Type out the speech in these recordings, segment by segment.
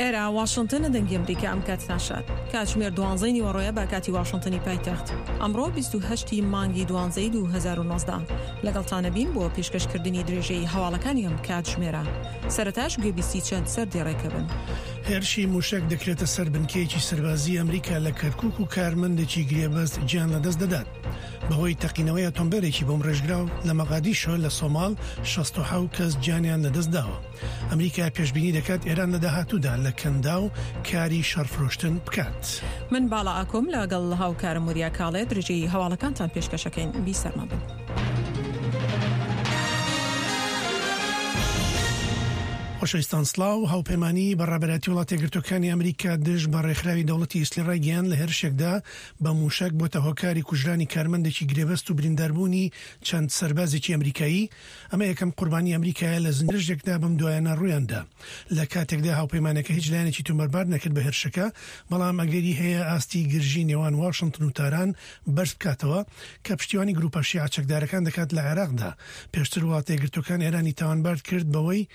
ئێرە واشنتنە دەنگی ئەمریکا ئەم کاتتان شاد. کاتژمێر دوانزەی نیوەڕۆیە بە کاتی واشنتنی پایتەخت. ئەمڕۆ 28 ی مانگی دوانزەی 2019 لەگەڵتانە بین بۆ پێشکەشکردنی درێژەی هەواڵەکانی ئەم کاتژمێرە. سەرەتاش گوێبیستی چەند سەردێڕێکە بن. هێرشی مووشەک دەکرێتە سەر بنکەیەکی سەربازیی ئەمریکا لە کەرکووک و کارمەندێکی گرێبەست گیان لەدەست دەدات بەهۆی تەقینەوەی ئۆتۆمبێلێکی بۆمبڕێژکراو لە مەغادیشۆ لە سۆماڵ 67 کەس گیانیان لەدەستداوە. ئەمریکا پێشبینی دەکات ئێران لە داهاتوودا لە کەنداو کاری شەڕفرۆشتن بکات. من باڵا ئاکۆم لەگەڵ هاوکارم وریا کاڵێ درێژەی هەواڵەکانتان پێشکەشەکەین بیسەرمان بن. خۆشەویستان سڵاو، هاوپەیمانیی بە ڕابەرایەتی وڵاتە یەکگرتووەکانی ئەمریکا دژ بە ڕێکخراوی دەوڵەتی ئیسلی ڕایگەیاند لە هێرشێکدا بە مووشەک بۆتە هۆکاری کوژرانی کارمەندێکی گرێبەست و برینداربوونی چەند سەربازێکی ئەمریکایی ئەمە یەکەم قوربانی ئەمریکایە لە زنجیرەێکدا بەم دوایانە ڕوویاندا لە کاتێکدا هاوپەیمانەکە هیچ لایەنێکی تۆمەتبار نەکرد بە هێرشەکە بەڵام ئەگەری هەیە ئاستی گرژی نێوان واشنتن و تاران بەرز بکاتەوە کە پشتیوانی گروپە شیعە چەکدارەکان دەکات لە عێراقدا پێشتر وڵاتە یەکگرتووەکان ئێرانی تاوانبار کرد بەوەی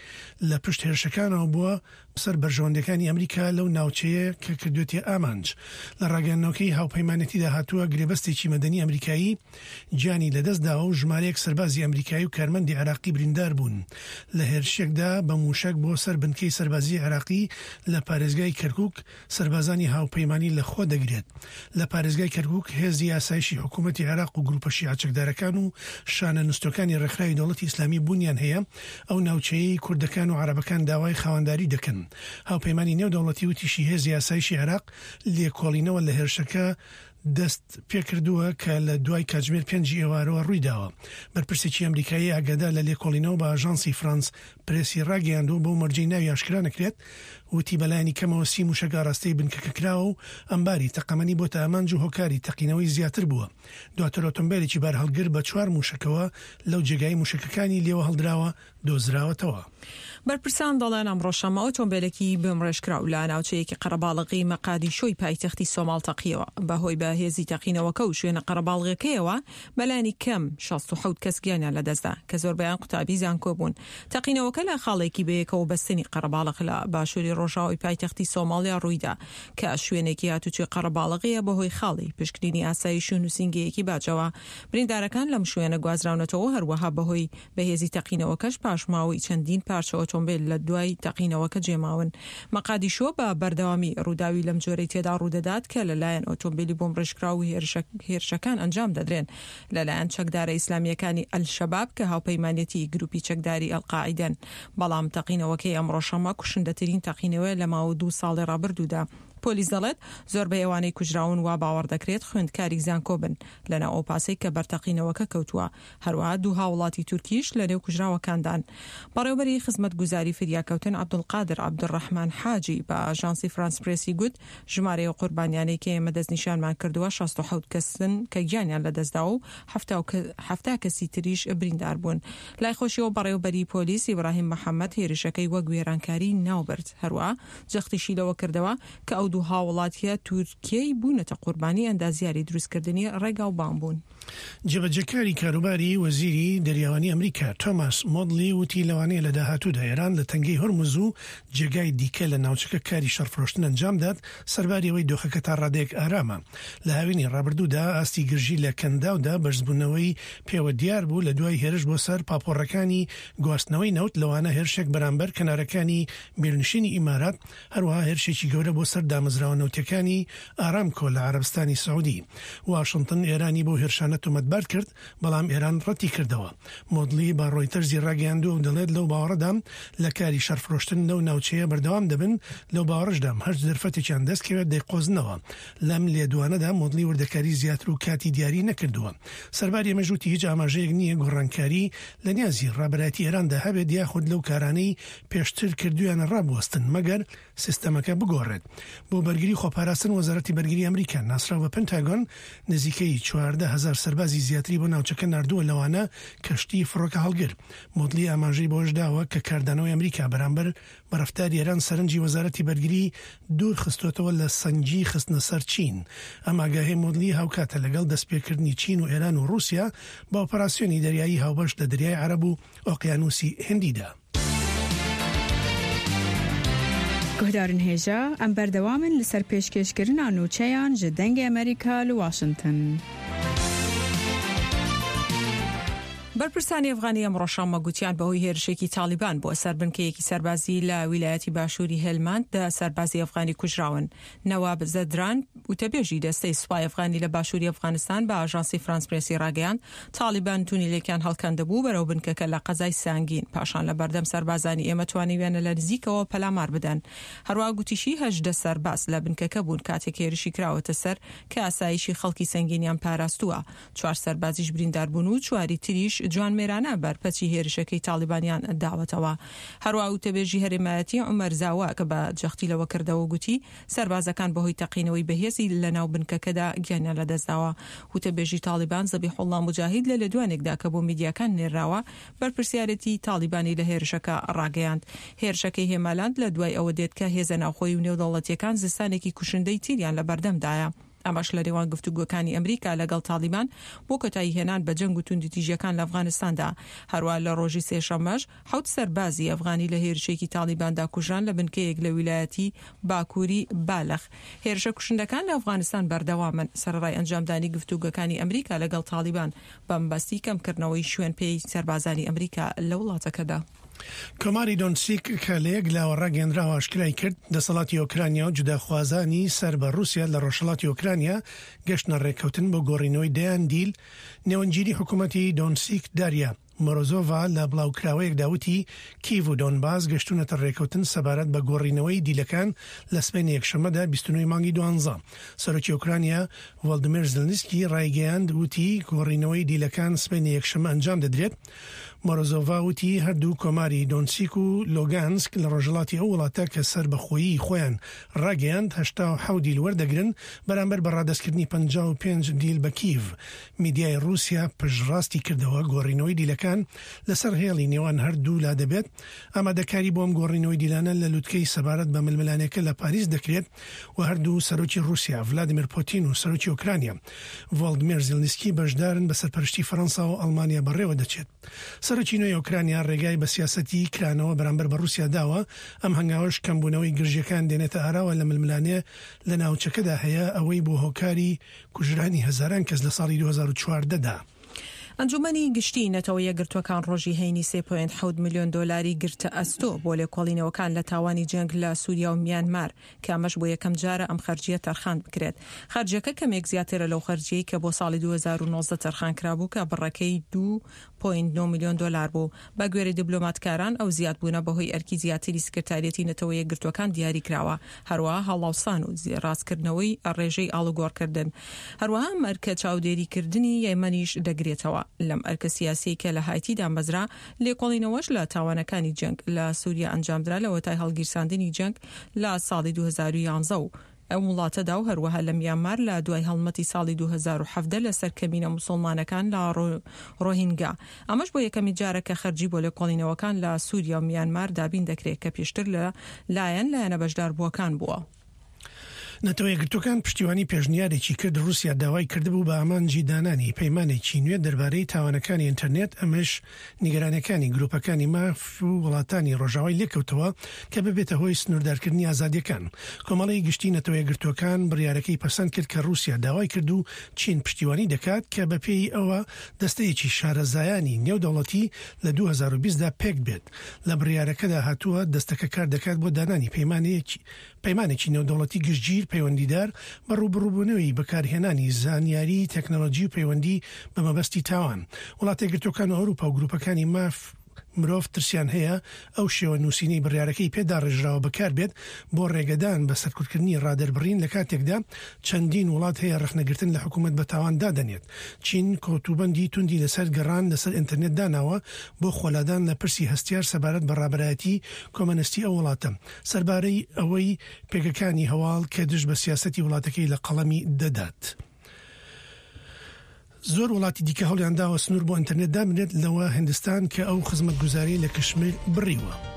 لە پشت هێرشەکانەوە بووە سەر بەرژەوەندیەکانی ئەمریکا لەو ناوچەیە کە کردوێتیە ئامانج. لە ڕاگەیاندنەوەکەی هاوپەیمانێتیدا هاتووە گرێبەستێکی مەدەنی ئەمریکایی گیانی لەدەست داوە و ژمارەیەک سەربازی ئەمریکایی و کارمەندی عێراقی بریندار بوون لە هێرشێکدا بە مووشەک بۆ سەر بنکەی سەربازیی عێراقی لە پارێزگای کەرکوک سەربازانی هاوپەیمانی لە خۆ دەگرێت. لە پارێزگای کەرکوک هێزی ئاسایشی حکوومەتی عێراق و گرووپە شیعە چەکدارەکان و شانە نوستووەکانی ڕێکخراوی دەوڵەتی ئیسلامی بوونیان هەیە، ئەو ناوچەیەی کوردەکان و عەرەبەکان داوای خاوەنداری دەکەن. هاوپەیمانی نێودەوڵەتی وتیشی هێزی ئاسایشی عێراق لێکۆڵینەوە لە هێرشەکە دەست پێکردووە کە لە دوای کاتژمێر پێنجی ئێوارەوە ڕوویداوە. بەرپرسێکی ئەمریکایی ئاگادار لە لێکۆڵینەوە بە ئاژانسی فرانس پرێسی ڕاگەیاندووە بەو مەرجەی ناوی ئاشکرا نەکرێت، وتی بەلایەنی کەمەوە سی موشەک ئاراستەی بنکەکە کراوە و ئەمباری تەقەمەنی بۆتە ئامانج و هۆکاری تەقینەوەی زیاتر بووە. دواتر ئۆتۆمبێلێکی بارهەڵگر بە چوار موشەکەوە لەو جێگای موشەکەکانی لێوە هەڵدراوە دۆزراوەتەوە. بەرپرسان دەڵێن ئەمڕۆ شەممە ئۆتۆمبێلێکی بۆمڕێژکراو لە ناوچەیەکی قەرەباڵغی مەقادیشۆی پایتەختی سۆماڵ تەقیەوە. بەهۆی بەهێزی تەقینەوەکە و شوێنە قەرەباڵغەکەیەوە بەلایەنی کەم 67 کەس گیانیان لەدەستدا کە زۆربەیان قوتابی زانکۆ بوون. تەقینەوەکە لە خاڵێکی بەیەکەوە بەستنی قەرەباڵغ لە باشووری ڕۆژاوای پایتەختی سۆماڵیا ڕوویدا کە شوێنێکی هاتوچۆی قەرەباڵغیە بەهۆی خاڵی پشکنینی ئاسایش و نووسینگەیەکی باجەوە. بریندارەکان لەم شوێنە گوازراونەتەوە هەروەها بەهۆی بەهێزی تەقینەوەکەش پاشماوەی چەندین پارچە ئۆتۆمبێل لە دوای تەقینەوەکە جێماون. مەقادیشۆ بە بەردەوامی ڕووداوی لەم جۆرەی تێدا ڕوودەدات کە لەلایەن ئۆتۆمبێلی بۆمبڕێژکراو و هێرشەکان ئەنجام دەدرێن لەلایەن چەکدارە ئیسلامییەکانی ئەلشەباب کە هاوپەیمانێتی گروپی چەکداری ئەلقاعیدەن. بەڵام تەقینەوەکەی ئەمڕۆ شەممە کوشندەترین تەقینەوەیە لە ماوە دوو ساڵی ڕابردوودا. پۆلیس دەڵێت، زۆربەی ئەوانەی کوژراون وا باوەڕ دەکرێت خوێندکاری زانکۆ بن لەناو ئەو پاسەی کە بەر تەقینەوەکە کەوتووە. هەروەها دوو هاوڵاتی تورکیش لەنێو کوژراوەکاندان. بەڕێوەبەری خزمەتگوزاری فریاکەوتن عەبدولقادر عەبدولڕەحمان حاجی بە ئاژانسی فرانس پرێسی گوت، ژمارەی ئەو قوربانیانەی کە ئێمە دەستنیشانمان کردووە 67 کەسن کە گیانیان لەدەستداوە و 70 کەسی تریش بریندار بوون. لای خۆشیەوە بەڕێوەبەری پۆلیس ئیبراهیم محەمەد هێرشەکەی وەک وێرانکاری ناوبرد. هەروەها جەختیشی لەوە کردەوە کە ئەو دوو هاوڵاتییە تورکیەی بوونەتە قوربانی ئەندازیاری دروستکردنی ڕێگاوبان بوون. جێبەجێکاری کاروباری وەزیری دەریاوانی ئەمریکا تۆماس مۆدلی وتی لەوانەیە لە داهاتوودا ئێران لە تەنگەی هورمز و جێگای دیکە لە ناوچەکە کاری شەڕفرۆشتن ئەنجامدات سەرباری ئەوەی دۆخەکە تا ڕادەیەک ئارامە. لە هاوینی ڕابردوودا ئاستی گرژی لە کەنداودا بەرزبوونەوەی پێوە دیار بوو لە دوای هێرش بۆ سەر پاپۆڕەکانی گواستنەوەی نەوت لەوانە هێرشێک بەرامبەر کەنارەکانی میرنشینی ئیمارات هەروەها هێرشێکی گەورە بۆ سەر دامەزراوە نەوتیەکانی ئارامکۆ لە عەرەبستانی سعودی. واشنتن ئێرانی بەو هێرشانە تۆمەتبار کرد، بەڵام ئێران ڕەتی کردەوە. مۆدلی بە ڕۆیتەرزی ڕاگەیاندووە و دەڵێت لەو باوەڕەدام لە کاری شەڕفرۆشتن لەو ناوچەیە بەردەوام دەبن، لەو باوەڕەشدام هەرچ دەرفەتێکیان دەست کەوێت دەیقۆزنەوە. لەم لێدوانەدا مۆدلی وردەکاری زیاتر و کاتی دیاری نەکردووە. سەرباری ئەمەش وتی هیچ ئاماژەیەک نییە گۆڕانکاری لە نیازی ڕابەرایەتی ئێراندا هەبێت یاخود لەو کارانەی پێشتر کردوویانە ڕابوەستن مەگەر سیستەمەکە بگۆڕێت. بۆ بەرگری خۆپاراستن وەزارەتی بەرگری ئەمریکا ناسراو بە پنتاگۆن نزیکەی 14 هەزار سەربازی زیاتری بۆ ناوچەکە ناردووە لەوانە کەشتی فڕۆکە هەڵگر. مۆدلی ئاماژەی بەوەش داوە کە کاردانەوەی ئەمریکا بەرامبەر بە ڕەفتاری ئێران سەرنجی وەزارەتی بەرگری دوور خستووەتەوە لە سەنگی خستنە سەر چین. ئەم ئاگاهیەی مۆدلی هاوکاتە لەگەڵ دەستپێکردنی چین و ئێران و ڕووسیا بە ئۆپەراسیۆنی دەریایی هاوبەش لە دەریای عەرەب و ئۆقیانووسی هندیدا. Guhdarên hêja, em berdewam in li ser pêşkêşkirina nûçeyan ji Dengê Amerîka li Washington. بەرپرسانی ئەفغانی ئەمڕۆ شەممە گوتیان بەهۆی هێرشێکی تاڵیبان بۆ سەر بنکەیەکی سەربازی لە ویلایەتی باشووری هێلماند دە سەربازی ئەفغانی کوژراون. نەواب زەدران، وتەبێژی دەستەی سوپای ئەفغانی لە باشووری ئەفغانستان بە ئاژانسی فرانس پرێسی ڕاگەیاند، تاڵیبان تونیلێکیان هەڵکەندبوو بەرەو بنکەکە لە قەزای سانگین، پاشان لە بەردەم سەربازانی ئێمە توانیویانە لە نزیکەوە پەلامار بدەن. هەروەها گوتیشی 18 سەرباز لە بنکەکە بوون کاتێک هێرشی کراوەتە سەر کە ئاسایشی خەڵکی سەنگینیان پاراستووە. چوار سەربازیش بریندار بوون و چواری تریش جوانمێرانە بەرپەچی هێرشەکەی تاڵیبانیان داوەتەوە. هەروەها وتەبێژی هەرێمایەتی عومەر زاواک بە جەختی لەوە کردەوە و گوتی، سەربازەکان بەهۆی تەقینەوەی بەهێزی لەناو بنکەکەدا گیانیان لەدەستداوە. وتەبێژی تاڵیبان زەبیحوڵڵا موجاهید لە لێدوانێکدا کە بۆ میدیاکان نێرراوە، بەرپرسیارێتی تاڵیبانی لە هێرشەکە ڕاگەیاند. هێرشەکەی هێمالاند لە دوای ئەوە دێت کە هێزە ناوخۆیی و نێودەوڵەتییەکان زستانێکی کوشندەی تیریان لەبەردەمدایە. ئەمەش لە نێوان گفتوگۆکانی ئەمریکا لەگەڵ تاڵیبان بۆ کۆتاییهێنان بە جەنگ و توندوتیژییەکان لە ئەفغانستاندا. هەروا لە ڕۆژی سێشەممەش حەوت سەربازی ئەفغانی لە هێرشێکی تاڵیباندا کوژران لە بنکەیەک لە ویلایەتی باکووری بالخ. هێرشە کوشندەکان لە ئەفغانستان بەردەوامن، سەرەڕای ئەنجامدانی گفتوگۆکانی ئەمریکا لەگەڵ تاڵیبان بەمەبەستی کەمکردنەوەی شوێنپێی سەربازانی ئەمریکا لە وڵاتەکەدا. کۆماری دۆنتسیک کە لە یەک لاوە ڕاگەیەندراوە ئاشکرای کرد، دەسەڵاتی ئۆکرانیا و جوداخوازانی سەر بە ڕووسیا لە ڕۆژهەڵاتی ئۆکرانیا گەشتنە ڕێککەوتن بۆ گۆڕینەوەی دەیان دیل. نێوەندگیری حکوومەتی دۆنتسیک داریا مۆرۆزۆڤا لە بڵاوکراوەیەکدا وتی، کیڤ و دۆنباس گەشتوونەتە ڕێککەوتن سەبارەت بە گۆڕینەوەی دیلەکان لە سبەینێ یەکشەممەدا 29 ی مانگی دوانزە. سەرۆکی ئۆکرانیا ڤۆلدیمێر زلنسکی ڕایگەیاند وتی، گۆڕینەوەی دیلەکان سبەینێ یەکشەممە ئەنجام دەدرێت. مۆرۆزۆڤا وتی، هەردوو کۆماری دۆنسیک و لۆگانسک لە ڕۆژهەڵاتی ئەو وڵاتە کە سەربەخۆیی خۆیان ڕاگەیاند، 87 دیل وەردەگرن بەرامبەر بە ڕادەستکردنی 55 دیل بە کیڤ. میدیای ڕووسیا پشتڕاستی کردەوە گۆڕینەوەی دیلەکان لەسەر هێڵی نێوان هەردوولا دەبێت. ئامادەکاری بۆ ئەم گۆڕینەوەی دیلانە لە لوتکەی سەبارەت بە ململانێکە لە پاریس دەکرێت و هەردوو سەرۆکی ڕووسیا ڤلادیمێر پۆتین و سەرۆکی ئۆکرانیا ڤۆڵدمێر زیلنسکی بەشدارن بە سەرپەرشتی فەرەنسا و ئەڵمانیا بەڕێوە دەچێت. سەرۆکی نوێی ئۆکرانیا ڕێگای بە سیاسەتی کرانەوە بەرامبەر بە ڕووسیا داوە، ئەم هەنگاوەش کەمبوونەوەی گرژییەکان دێنێتە ئاراوە لە ململانێ لە ناوچەکەدا هەیە، ئەوەی بووە هۆکاری کوژرانی هەزاران کەس لە ساڵی 2014 دا. ئەنجوومەنی گشتیی نەتەوە یەکگرتووەکان ڕۆژی هەینی 3.7 ملیۆن دۆلاری گرتە ئەستۆ بۆ لێکۆڵینەوەکان لە تاوانی جەنگ لە سووریا و میانمار، کە ئەمەش بۆ یەکەم جارە ئەم خەرجییە تەرخان بکرێت. خەرجییەکە کەمێک زیاترە لەو خەرجییەی کە بۆ ساڵی 2019 تەرخان کرابوو کە بڕەکەی 2.9 ملیۆن دۆلار بوو. بە گوێرەی دیبلۆماتکاران ئەو زیادبوونە بەهۆی ئەرکی زیاتری سکرتاریەتی نەتەوە یەکگرتووەکان دیاری کراوە، هەروەها هەڵاوسان و ڕاستکردنەوەی ڕێژەی ئاڵوگۆڕکردن. هەروەها ئەم ئەرکە چاودێریکردنی یەمەنیش دەگرێتەوە. لەم ئەرکە سیاسیەی کە لە هایتی دامەزرا، لێکۆڵینەوەش لە تاوانەکانی جەنگ لە سوریا ئەنجامدرا لەوەتای هەڵگیرساندنی جەنگ لە ساڵی 2011 و ئەم وڵاتەدا و هەروەها لە میانمار لە دوای هەڵمەتی ساڵی 2017 لەسەر کەمینە موسڵمانەکان لە ڕۆهینگا. ئەمەش بۆ یەکەمین جارە کە خەرجی بۆ لێکۆڵینەوەکان لە سوریا و میانمار دابین دەکرێت کە پێشتر لە لایەن لایەنە بەشداربووەکان بووە. نەتەوە یەکگرتووەکان پشتیوانی پێشنیارێکی کرد ڕووسیا داوای کردبوو بە ئامانجی دانانی پەیمانێکی نوێ دەربارەی تاوانەکانی ئینتەرنێت، ئەمەش نیگەرانیەکانی گروپەکانی ماف و وڵاتانی ڕۆژاوای لێکەوتەوە کە ببێتە هۆی سنووردارکردنی ئازادیەکان. کۆمەڵەی گشتی نەتەوە یەکگرتووەکان بڕیارەکەی پەسەند کرد کە ڕووسیا داوای کرد و چین پشتیوانی دەکات کە بەپێی ئەوە دەستەیەکی شارەزایانی نێودەوڵەتی لە 2020 دا پێکبێت. لە بڕیارەکەدا هاتووە دەستەکە کاردەکات بۆ دانانی پەیمانێکی پەیمانێکی نێودەوڵەتی گشتگیر پەیوەندیدار بە ڕووبەڕووبوونەوەی بەکارهێنانی زانیاری تەکنەلۆجی و پەیوەندی بە مەبەستی تاوان. وڵاتەیەکگرتووەکان و ئەوروپا و گروپەکانی ماف مرۆڤ ترسیان هەیە ئەو شێوە نووسینەی بڕیارەکەی پێ داڕێژراوە بەکاربێت بۆ ڕێگەدان بە سەرکوتکردنی ڕادەربڕین لە کاتێکدا چەندین وڵات هەیە ڕەخنەگرتن لە حکومەت بە تاوان دادەنێت. چین کۆتوبەندی توندی لەسەر گەڕان لەسەر ئینتەرنێت داناوە بۆ خۆلادان لە پرسی هەستیار سەبارەت بە ڕابەرایەتی کۆمەنستی ئەو وڵاتە. سەربارەی ئەوەی پێگەکانی هەواڵ کە دژ بە سیاسەتی وڵاتەکەی لە قەڵەمی دەدات. زۆر وڵاتی دیکە هەوڵیان داوە سنوور بۆ ئینتەرنێت دابنرێت لەوە هندستان کە ئەو خزمەتگوزاریەی لە کشمیر بڕیوە.